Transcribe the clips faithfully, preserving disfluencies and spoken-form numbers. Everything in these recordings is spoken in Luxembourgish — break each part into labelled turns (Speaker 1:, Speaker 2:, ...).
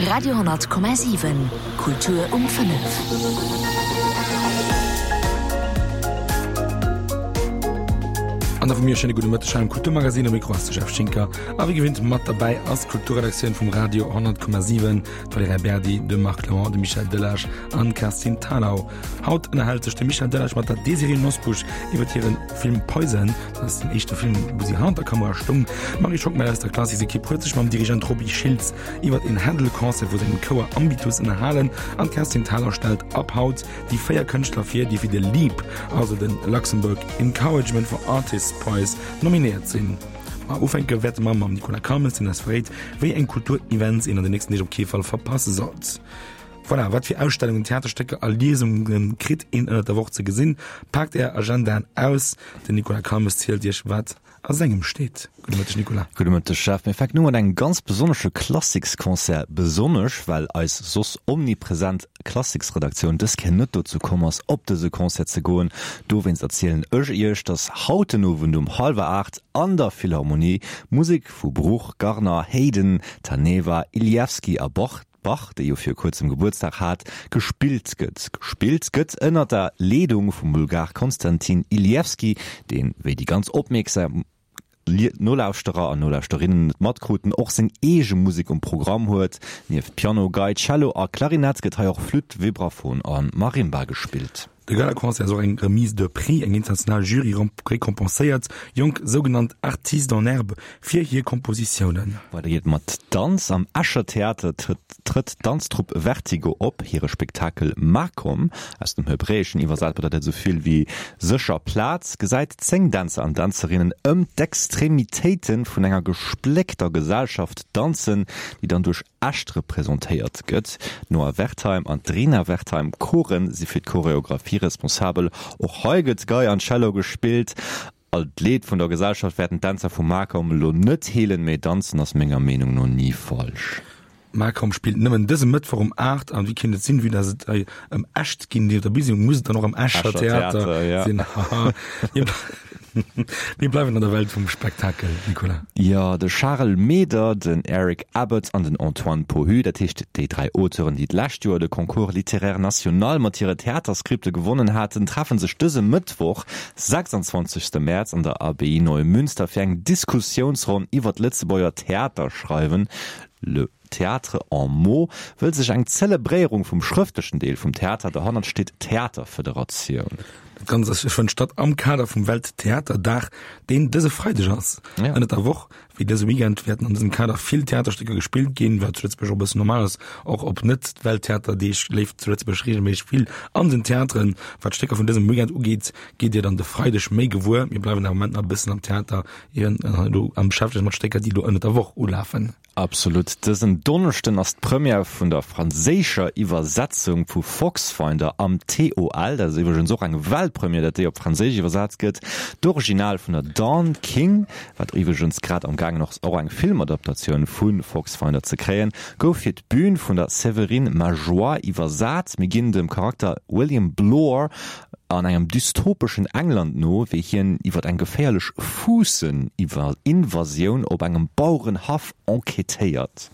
Speaker 1: Radio honnert Komma siwen, Kultur um fënnef.
Speaker 2: An da vu mir e schéine gudde Mëtteg hei am Kulturmagazin. Um Mikro ass de Jeff Schinker a wéi gewinnt mat derbäi ass d'Kulturredaktioun vum Radio honnert Komma siwen, d'Valerija Berdi, de Marc Clement, de Michel Delage an d'Kerstin Thalau. Haut ënnerhält sech de Michel Delage mat der Désirée Nosbusch iwwer hire Film Poison. Dat ass den éischte Film, wou si hannert der Kamera stoung. D'Marie Schockmel aus der Klassiks-Ekipp huet sech mam Dirigent Roby Schiltz iwwer een Händel-Concert vu sengem Chouer Ambitus ënnerhalen an d'Kerstin Thalau stellt ab haut déi véier Kënschtler vir, déi fir de LEAP, also de Luxembourg Encouragement for Artists Prize, nominéiert sinn. Ma ufänke wäerte mer mam Nicolas Calmes, deen eis verréit, wéi eng Kultur-Events een an den nächsten Deeg op kee Fall verpasse sollt. Voilà, wat fir Ausstellungen, Theaterstécker a Liesunge kritt een ënnert der Woch ze gesinn? Paakt är Agendaen aus, den Nicolas Calmes zielt iech, wat a sengem steet. Gudde Mëtteg, Nicolas.
Speaker 3: Gudde Mëtteg, Jeff. Mir fänken u mat engem ganz besonnesche Klassiksconcert. Besonnesch, well eis soss omnipresent Klassiksredaktioun dës Kéier net dozou komm ass, op dëse Concert ze goen. Dowéinst erzielen ech iech, dass haut den Owend um hallwer aacht an der Philharmonie Musek vu Bruch, Garner, Haydn, Taneva, Ilievski a Bach, Bach, dee jo vir kuerzem Gebuertsdag hat, gespillt gëtt. Gespillt gëtt ënner der Leedung vum Bulgar Konstantin Ilievski, deen, wéi déi ganz opmierksam Nolauschterer an Nolauschterinnen et matkruten, och seng eege Musek um Programm huet. Nieft Piano, Gei, Cello a Klarinett gëtt hei och Flütt, Vibraphon a Marimba gespillt.
Speaker 2: De Galaconcert ass och eng Remise de prix, eng international Jury récompenséiert jonk sougenannt Artistes en herbe fir hir Kompositiounen.
Speaker 3: Weider geet et mat Danz. Am Escher Theater trëtt d'Danztrupp Vertigo op. Hire Spektakel Makom, aus dem Hebräeschen iwwersat bedeit dat esou vill wéi sécher Plaz, gesäit zéng Dänzer an Dänzerinnen ëm d'Extremitéite vun enger gespléckter Gesellschaft danzen, déi dann duerch Echt representéiert gëtt. D'Noa Wertheim an d'Rina Wertheim-Koren si fir d'Choreographie responsabel. Och hei gëtt Gei an Cello gespillt. All d'Leed vun der Gesellschaft wäerten d'Dänzer vu Makom elo net heelen, mee danzen ass menger Meenung no ni falsch.
Speaker 2: Makom spillt nëmmen dëse Mëttwoch um aacht an wéi kéint et sinn, vue dass et hei ëm Echt ginn, déi op der Bühn sinn, muss et dann och am Escher Theater sinn. Haha. Mir bleiwen an der Welt vum Spektakel, Nicolas.
Speaker 3: Jo, de Charel Meder, den Eric Abbott an den Antoine Pohu, dat heescht déi dräi Auteuren, déi d'lescht Joer de Concours littéraire national mat hire Theaterskripte gewonnen haten, treffen sech dëse Mëttwoch, sechsanzwanzegste Mäerz, an der Abbaye Neumünster fir eng Diskussiounsronn iwwer d'Lëtzebuerger Theaterschreiwen. Le Théâtre en mots wëll sech eng Zelebréierung vum schrëftlechen Deel vum Theater, derhannert steet d'Theaterfederatioun.
Speaker 2: Dat Ganzt ass fënnt statt am Kader vum Welttheaterdag, deen dëse Freideg ass.
Speaker 3: Ja.
Speaker 2: Ënnert der Woch, wéi dëse Weekend, wäerten an dësem Kader vill Theaterstécker gespillt ginn, wat zu Lëtzebuerg och e bëssen normal ass. Och op Net-Welttheaterdeeg leeft zu Lëtzebuerg reegelméisseg vill an den Theateren. Wat d'Stécker vun dësem Weekend ugeet, gitt Dir dann de Freideg méi gewuer. Mir bleiwen awer am Moment nach e bëssen am Theater, ieren elo am beschäftegt mat Stécker, déi elo ënnert der Woch ulafen.
Speaker 3: Absolut. Dësen Donneschden ass d'Première vun der franséischer Iwwersetzung vu Foxfinder am T O L. Dat ass iwwregens och eng Weltpremière, datt déi op Franséisch iwwersat gëtt. D'Original vun der Dawn King, wat iwwregens grad am gaangen ass och eng Filmadaptatioun vu Foxfinder ze kréien, gouf fir d'Bün vun der Séverine Majoie iwwersat. Mir ginn dem Charakter William Blore an engem dystopeschen England no, wéi hien iwwer eng geféierlech Fuussen-Invasioun op engem Bauerenhaff enquêtéiert.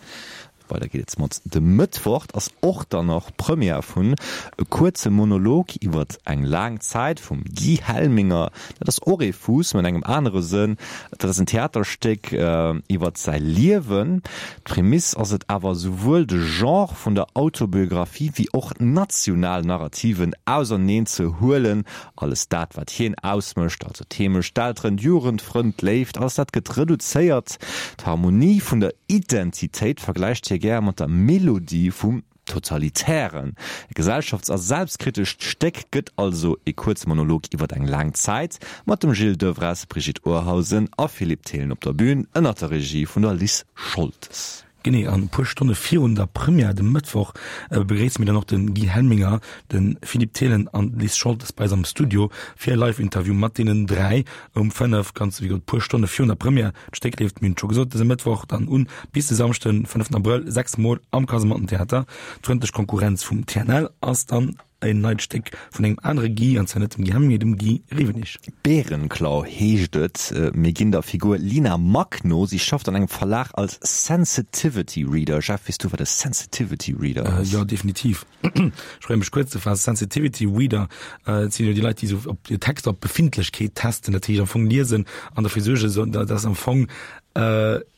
Speaker 3: Weider geet et mat de Mëttwoch ass och dann nach Première vun E kuerze Monolog iwwer eng laang Zäit vum Guy Helminger. Dat ass och ee Fuuss, mä an engem anere Sënn. Dat ass en Theaterstéck iwwer säi Liewen. D'Prämiss ass et awer souwuel de Genre vun der Autobiographie wéi och national Narrativen auserneen ze huelen. Alles dat wat hien ausmécht, also d'Heemecht, d'Elteren, d'Jugend, d'Frënn, d'Léift, alles dat gëtt reduzéiert. D'Harmonie vun der Identitéit vergläicht hie gär mat der Melodie vum Totalitären. E gesellschafts a selbstkritescht Stéck gëtt also e kuerze Monolog iwwer eng laang Zäit, mat dem Gilles Devres, Brigitte Urhausen a Philippe Thelen op der Bün, ënner der Regie vun der Lis Scholtes.
Speaker 2: Genee, an e puer Stonne virun der Première de Mëttwoch begréisse mir dann och de Guy Helminger, de Philippe Thelen an d'Lis Scholtes bei eis am Studio fir e Live-Interview mat deenen dräi um fënnef, ganz wéi gesot puer Stonne virun der Première. D'Stéck leeft, mir hunn et scho gesot, dëse Mëttwoch dann un bis de Samschden, fënneften Abrëll, sechs Mol am Kasemattentheater. D'frëndlech Konkurrenz vum T N L ass dann en neit Stéck vun engem anere Guy, an zwar net dem Guy Helminger, mee dem Guy Rewenig.
Speaker 3: Bärenklau heescht et. Mir ginn der Figur Lina Mack no. Si schafft an engem Verlag als Sensitivity Reader. Jeff, weess du, wat e Sensitivity Reader
Speaker 2: ass? Jo, definitiv. Ech probéiere mech kuerz ze faassen. Sensitivity Reader, dat sinn jo déi Leit, déi esou op hir Texter op Befindlechkeet testen, dat heescht am Fong liesen an derfir suergen, dass am Fong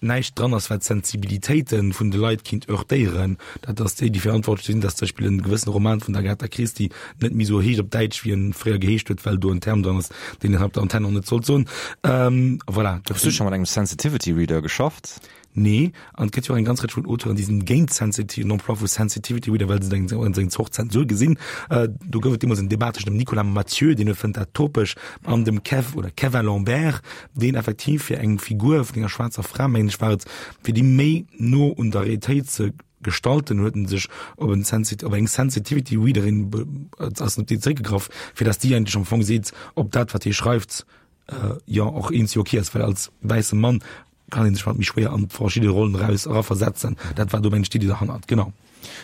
Speaker 2: näischt dran ass, wat d'Sensibilitéite vun de Leit kinnt heurtéieren. Dat ass déi, déi verantwortlech sinn, dass zum Beispill en gewëssene Roman vun der Agatha Christie net méi esou heescht op Däitsch, wéi en fréier geheescht huet, well do en Term dran ass, deen een op der Antenn och net sollt soen. Voilà.
Speaker 3: Hues du scho mat engem Sensitivity Reader geschafft?
Speaker 2: Nee, an et gëtt jo och eng ganz Rëtsch vun Auteuren, déi sinn géint Sensitivity, den Emploi vu Sensitivity Reader, well se eng eng Zort Zensur gesinn. Do gouf et deemools en Debat tëschent dem Nicolas Mathieu, deen fënnt dat topeg, an dem Kev oder Kevin Lambert, deen effektiv fir eng Figur vun enger schwaarzer Fra, mengen ech war et, fir déi méi no un der Realitéit ze gestalten, huet en sech op en Sensit op eng Sensitivity Readerin ass en op déi zeréckgegraff, fir datt déi eigentlech am Fong seet, ob dat wat hie schreift, jo och eens jo ok ass, well als wäisse Mann kann een sech mat méi schwéier an verschidde Rollen eraus eraversetzen. Dat war do mengen ech d'Iddi derhannert, genau.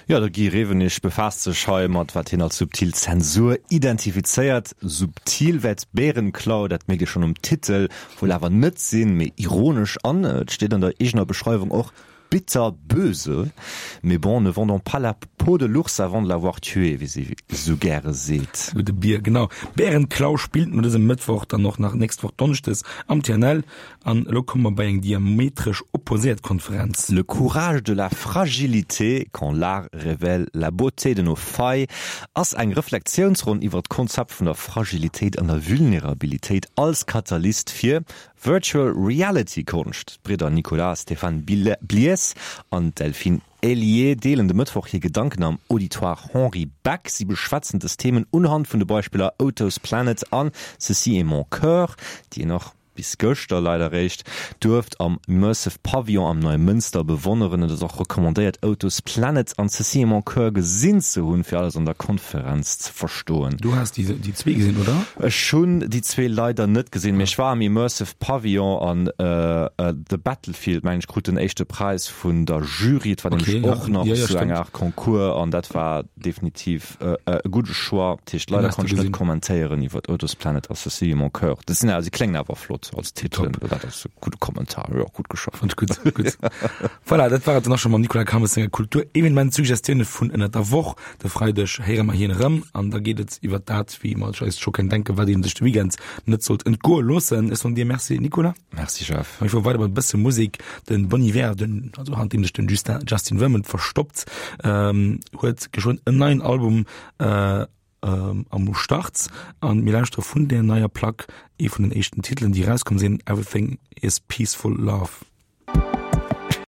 Speaker 3: Jo, de Guy Rewenig befaasst sech hei mat wat hien als subtil Zensur identifizéiert. Subtil wäert Bärenklau, dat mierkt ee schonn um Titel, wuel awer net sinn, mee ironesch an, et steet an der eegener Beschreiwung och, bitterböse. Mais bon, ne vendons pas la peau de l'ours avant de l'avoir tué, wéi si esou gäre seet.
Speaker 2: Gudde Bier, genau. Bärenklau spillt no dësem Mëttwoch dann och nach nächst Woch Donneschdes am TNL. An elo komme mer bei eng diametresch opposéiert Konferenz.
Speaker 3: Le courage de la fragilité, quand l'art révèle la beauté de nos failles ass eng Reflexiounsronn iwwer d'Konzept vun der Fragilitéit an der Vulnerabilitéit als Katalyst fir Virtual Reality Konscht. D'Bridder Nicolas a Stéphane Blies an d'Delphine Ellié deelen de Mëttwoch hir Gedanken am Auditoire Henri Beck. Si beschwätzen dës Themen unhand vun de Beispiller Oto's Planet an Ceci est mon cœur, déi een och bis gëschter leider réischt duerft am Immersive Pavillon am Neimënster bewonneren. Et ass och recommandéiert Oto's Planet an Ceci est mon cœur gesinn ze hunn, fir alles an der Konferenz ze verstoen.
Speaker 2: Du has déi zwee gesinn, oder?
Speaker 3: Ech hunn déi zwee leider net gesinn, mee ech war am Immersive Pavillon an The Battlefield, mengen ech, krut den éischte Präis vun der Jury. Et war nämlech och nach esou eng Aart Concours an dat war definitiv e gudde Choix. Dat heescht, leider konnt ech net kommentéieren iwwer Oto's Planet a Ceci est mon cœur. Dat sinn awer, se kléngen awer flott als Titelen. Dat ass e gudde Kommentar, jo, gutt geschafft.
Speaker 2: Fand ech gutt, gutt. Voilà, dat war et dann och scho mam Nicolas Calmes senger Kultur-Evenement-Suggestioune vun ënnert der Woch. De Freideg héiere mer hien erëm an da geet et iwwer dat, wéi mer eis scho kënnen denken, wat ee sech de Weekend net sollt entgoe loossen. Ech soen dir Merci, Nicolas.
Speaker 3: Merci, Jeff.
Speaker 2: A mir fuere weider mat e bësse Musek. De Bon Iver, den, also hannert deem sech den Justin, Justin Vernon verstoppt, huet geschwënn en neien Album am Start an mir lauschtere vun där neier Plack ee vun den éischten Titelen, déi erauskomm sinn, Everything Is Peaceful Love.